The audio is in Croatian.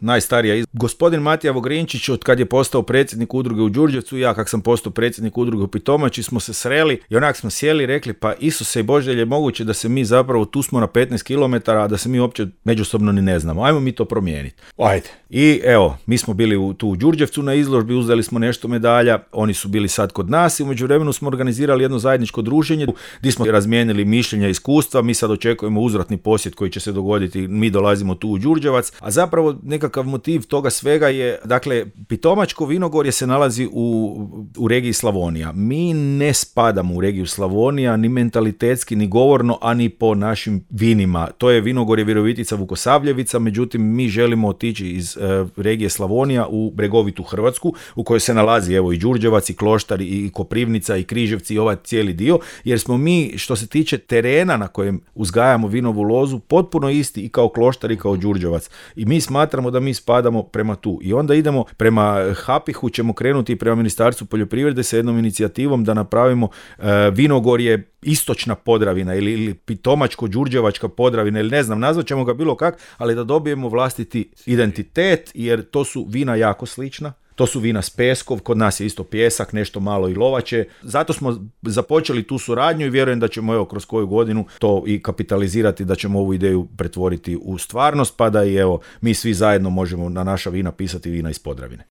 najstarija. Gospodin Matija Vogrinčić, od kad je postao predsjednik udruge u Đurđevcu, ja kak sam postao predsjednik udruge u Pitomači, smo se sreli i onak smo sjeli i rekli, pa Isuse i Bože, je moguće da se mi zapravo, tu smo na 15 km, a da se mi uopće međusobno ni ne znamo. Ajmo mi to promijeniti. Ajde. I evo, mi smo bili tu u Đurđevcu na izložbi, uzeli smo nešto medalja, oni su bili sad kod nas i u međuvremenu smo organizirali jedno zajedničko druženje gdje smo razmijenili mišljenja i iskustva. Mi sad očekujemo uzvratni posjet koji će se dogoditi, mi dolazimo tu u Đurđevac, a zapravo nekakav motiv toga svega je, dakle, Pitomačko vinogorje se nalazi u regiji Slavonija. Mi ne spadamo u regiju Slavonija, ni mentalitetski, ni govorno, a ni po našim vinima. To je vinogorje Virovitica Vukosavljevica, međutim mi želimo otići iz regije Slavonija u bregovitu Hrvatsku, u kojoj se nalazi evo i Đurđevac, i Kloštar, i Koprivnica, i Križevci, i ovaj cijeli dio, jer smo mi, što se tiče terena na kojem uzgajamo vinovu lozu, potpuno isti i kao Kloštar i kao Đurđevac. I mi smatramo da mi spadamo prema tu. I onda idemo prema HAPIH-u, ćemo krenuti prema Ministarstvu poljoprivrede sa jednom inicijativom da napravimo vinogorje Istočna Podravina ili Pitomačko-Đurđevačka Podravina ili ne znam, nazvat ćemo ga bilo kak, ali da dobijemo vlastiti identitet, jer to su vina jako slična. To su vina s Peskov, kod nas je isto pjesak, nešto malo i lovače. Zato smo započeli tu suradnju i vjerujem da ćemo evo kroz koju godinu to i kapitalizirati, da ćemo ovu ideju pretvoriti u stvarnost, pa da i evo mi svi zajedno možemo na naša vina pisati vina iz Podravine.